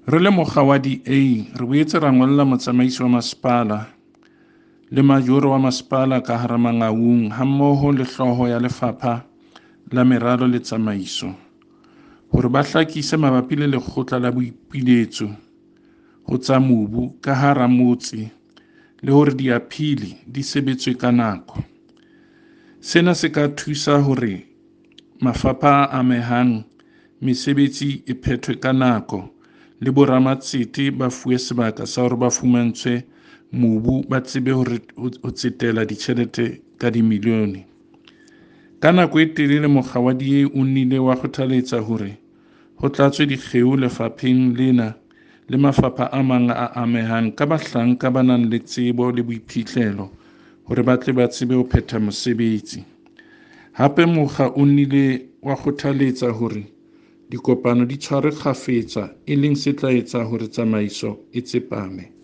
Re le mokga wa DA re boetse ra ngolla motsamaisi wa masepala le majoro wa masepala ka hara Mangaung hammoho le hlooho ya lefapha la meralo le tsamaiso hore ba hlakise mabapi le lekgotla la boipiletso ho tsa mobu ka hara motse le hore diaphili di sebetswe ka nako. Sena se ka thusa hore mafapha a amehang mesebetsi e phethwe ka nako le boramatsete ba fuwe sebaka sa hore ba fumantshwe mobu ba tsebe hore ho tsetela ditjhelete ka dimilione. Ka nako e telele mokga wa DA o nnile wa kgothaletsa hore ho tlatswe dikgeo lefapheng lena le mafapha a mang a amehang ka bahlanka ba nang le tsebo le boiphihlelo hore ba tle ba tsebe ho phetha mosebetsi. Hape mokga o nnile wa kgothaletsa hore dikopano di tshwarwe kgafetsa e leng se tla etsa hore tsamaiso e tsepame.